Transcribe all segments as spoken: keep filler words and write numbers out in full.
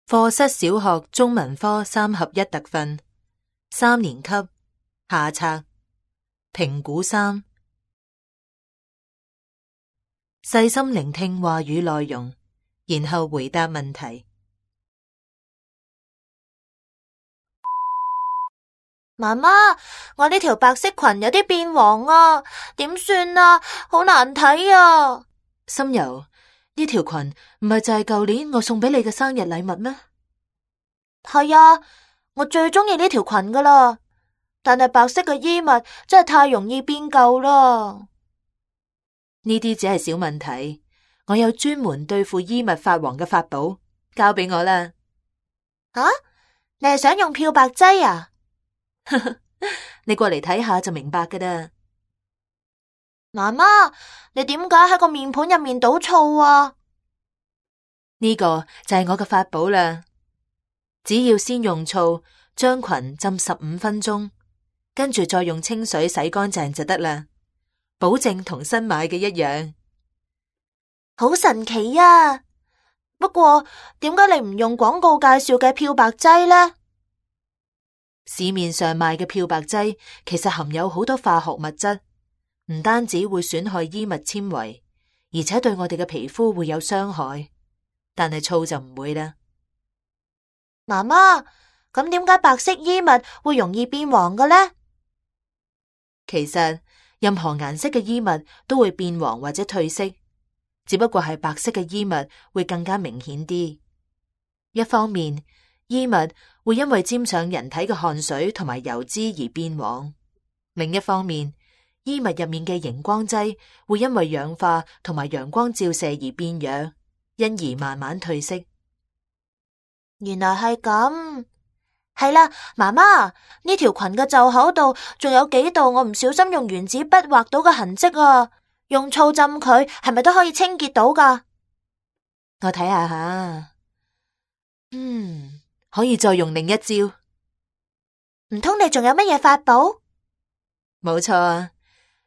課室小學中文科三合一特訓，三年級下冊評估三，細心聆聽話語內容，然後回答問題。媽媽，我呢條白色裙有啲變黃啊，點算啊？好難睇啊！心柔，呢條裙唔係就係舊年我送俾你嘅生日禮物咩？係啊，我最中意呢條裙噶啦，但係白色嘅衣物真係太容易變舊啦。呢啲只係小問題，我有專門對付衣物發黃嘅法寶，交俾我啦。啊？你係想用漂白劑啊？你過嚟睇下就明白噶啦。媽媽，你點解喺個面盤入面倒醋啊？呢個就係我嘅法寶啦。只要先用醋將裙浸十五分鐘，跟住再用清水洗乾淨就得啦，保證同新買嘅一樣。好神奇啊！不過點解你唔用廣告介紹嘅漂白劑呢？市面上賣嘅漂白劑其實含有好多化學物質，唔單止會損害衣物纖維，而且對我哋嘅皮膚會有傷害。但係醋就唔會啦。媽媽，咁點解白色衣物會容易變黃嘅呢？其實任何顏色嘅衣物都會變黃或者褪色，只不過係白色嘅衣物會更加明顯啲。一方面，衣物會因為沾上人體嘅汗水同埋油脂而變黃；另一方面，衣物入面嘅熒光劑會因為氧化同埋陽光照射而變弱，因而慢慢褪色。原來係咁。係啦，媽媽，呢條裙嘅袖口度仲有幾道我唔小心用原子筆畫到嘅痕跡啊！用醋浸佢係咪都可以清潔到㗎？我睇下下，嗯，可以再用另一招。唔通你仲有乜嘢法寶？冇錯啊，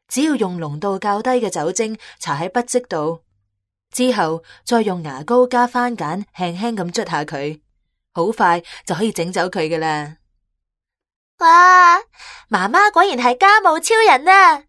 只要用濃度較低嘅酒精搽喺筆跡度，之後再用牙膏加番梘輕輕咁捽下佢，好快就可以整走佢㗎喇。哇，媽媽果然係家務超人啊！